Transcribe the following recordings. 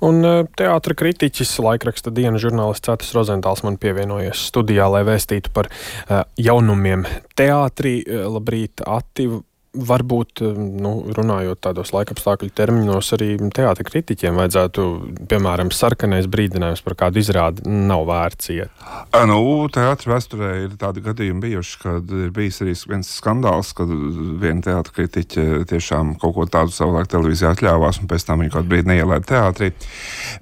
Un teātra kritiķis, laikraksta Diena žurnālists Cētis Rozentāls man pievienojies studijā, lai vēstītu par jaunumiem teātrī. Labrīt, Ati! Varbūt, runājot tādos laikapstākļu terminos, arī teātra kritiķiem vajadzētu, piemēram, sarkanais brīdinājums par kādu izrādi nav vērts iet. Teātra vēsturē ir tādi gadījumi bijuši, kad ir bijis arī viens skandāls, kad viena teātra kritiķe tiešām kaut ko tādu savulaik televīzijā atļāvās un pēc tam viņa kaut brīdi neielaida teātrī.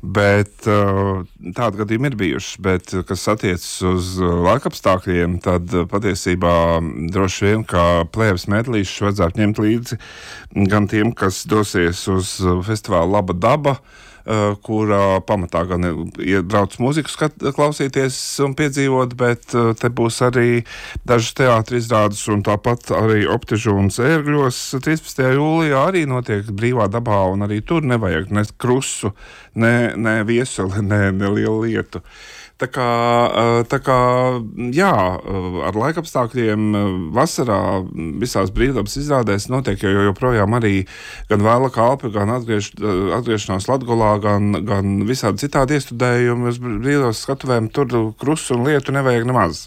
Bet tādi gadījumi ir bijuši, bet kas attiecas uz laikapstākļiem, tad patiesībā droši vien, kā plēves medlīšus vajadzētu ņemt līdzi gan tiem, kas dosies uz festivālu Laba daba, kurā pamatā gan brauc mūziku klausīties un piedzīvot, bet te būs arī dažas teātra izrādes un tāpat arī Optižūnas ērgļos 13. jūlijā arī notiek brīvā dabā un arī tur nevajag ne krusu, ne viesuli, ne lielu lietu. Tā kā, jā, ar laikapstākļiem vasarā visās brīvdabas izrādēs notiek joprojām arī gan Vēla kalpi, gan atgriešanās Latgolā, gan visādi citādi iestudējumi uz brīvdabas skatuvēm, tur krusu un lietu nevajag nemaz.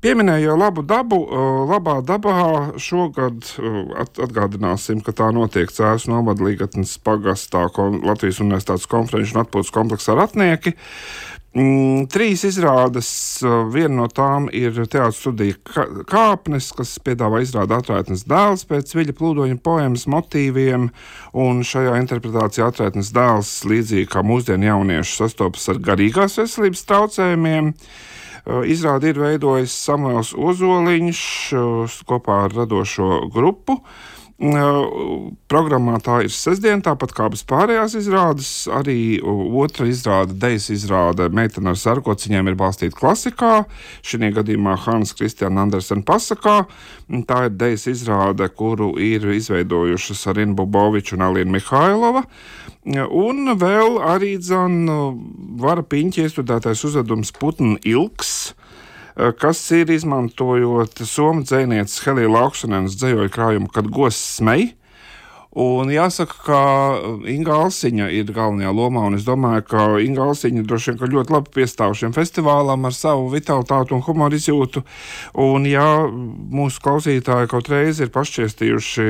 Pieminēju Labu dabu. Labā dabā šogad atgādināsim, ka tā notiek Cēsu novada Līgatnes pagastā Latvijas Universitātes konferenču un atpūtas kompleksā Ratnieki. 3 izrādes, viena no tām ir teātra studija Kāpnes, kas piedāvā izrādi Atraitnes dēls pēc Viļa Plūdoņa poemas motīviem, un šajā interpretācijā Atraitnes dēls, līdzīgi kā mūsdienu jaunieši, sastopas ar garīgās veselības traucējumiem. Izrādi ir veidojis Samuels Ozoliņš kopā ar radošo grupu. Programmā tā ir sestdien, tāpat kā bez pārējās izrādes. Arī otra izrāde, dejas izrāde Meitene ar sarkociņiem ir balstīta klasikā. Šī gadījumā Hans Kristiāna Andersena pasakā. Tā ir dejas izrāde, kuru ir izveidojušas Arina Buboviča un Alina Mihailova. Un vēl arī Vara Piņķa iestudētais uzvedums Putna ilgs, kas ir izmantojot somu dzejnieces Helija Lauksonenes dzejoļu krājumu Kad goss smej. Un jāsaka, ka Inga Alsiņa ir galvenajā lomā, un es domāju, ka Inga Alsiņa droši vien ļoti labi piestāv šiem festivālam ar savu vitalitātu un humoru izjūtu. Un ja mūsu klausītāji kaut reiz ir pašķiestījuši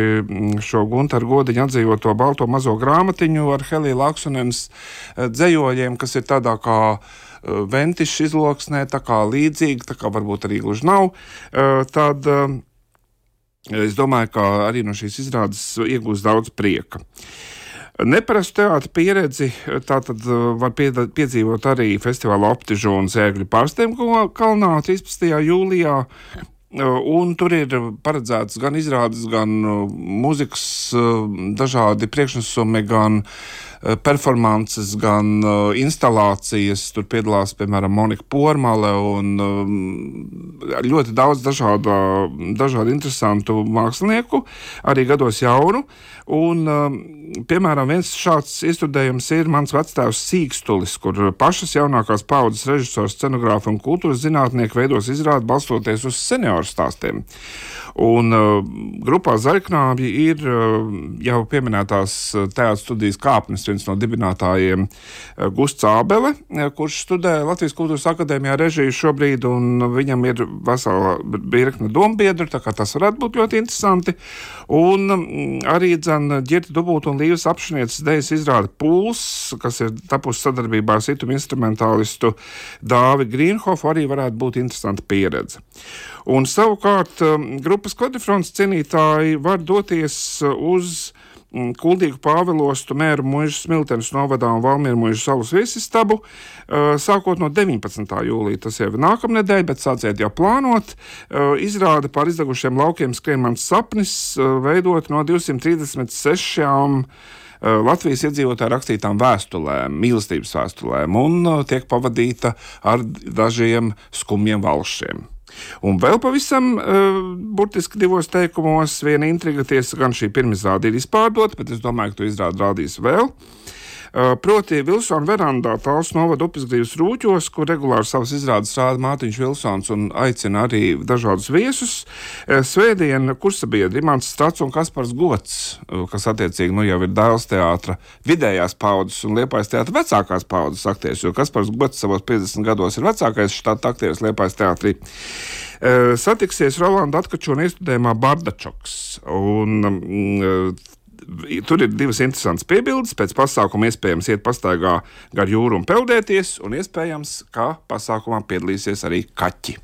šo Guntaru Godiņu atdzīvoto balto mazo grāmatiņu ar Helija Lauksonenes dzejoļiem, kas ir tādā kā ventišs izloksnē, tā kā līdzīgi, tā kā varbūt arī gluži nav, tad es domāju, ka arī no šīs izrādes iegūs daudz prieka. Neparastu teātra pieredzi tātad var piedzīvot arī festivāla Optižūnas ērgļu Pārsteiguma kalnā 13. jūlijā. Un tur ir paredzēts gan izrādes, gan mūzikas dažādi priekšnesumi, gan performances, gan instalācijas. Tur piedalās, piemēram, Monika Pormale un ļoti daudz dažādu interesantu mākslinieku, arī gados jaunu. Un, piemēram, viens šāds iestudējums ir mans vectēvs Sīkstulis, kur pašas jaunākās paudzes režisors, scenogrāfi un kultūras zinātnieki veidos izrādi balstoties uz senioru stāstiem. Un grupā Zaļknābji ir jau pieminētās teātra studijas Kāpnes viens no dibinātājiem Gusts Ābele, kurš studē Latvijas Kultūras akadēmijā režiju šobrīd, un viņam ir vesela virkne dombiedru, tā kā tas varētu būt ļoti interesanti. Un arī Ģirta Dubulta un Līvas Apšnieces dejas izrāde Pūls, kas ir tapusi sadarbībā ar situmu instrumentālistu Dāvi Grīnhofu, arī varētu būt interesanta pieredze. Un savukārt grupas Kodifrons cienītāji var doties uz Kuldīgu Pāvilostu, Mēru muižas Smiltenes novadā un Valmieru muižas salas viesistabu, sākot no 19. jūlija. Tas jau ir nākamnedēļ, bet sāciet jau plānot. Izrāde par izdegušiem laukiem skrien mans sapnis, veidot no 236 Latvijas iedzīvotāju rakstītām vēstulēm, mīlestības vēstulēm, un tiek pavadīta ar dažiem skumjiem valšiem. Un vēl pavisam burtiski 2 teikumos viena intriga, tiesa gan šī pirmizrāde ir izpārdota, bet es domāju, ka to izrādi rādīs vēl. Proti Vilsona verandā Talsu novada Upesgrīvas Rūķos, kur regulāri savas izrādes rāda Mārtiņš Vilsons un aicina arī dažādus viesus. Svētdien kursabiedri Imants Strats un Kaspars Gots, kas attiecīgi jau ir Dailes teātra vidējās paudzes un Liepājas teātra vecākās paudzes aktieris, jo Kaspars Gots savos 50 gados ir vecākais štata aktieris Liepājas teātrī. Satiksies Rolanda Atkačona iestudējumā Bardačoks. Tur ir divas interesantas piebildes. Pēc pasākuma iespējams iet pastaigā gar jūru un peldēties, un iespējams, ka pasākumā piedalīsies arī kaķi.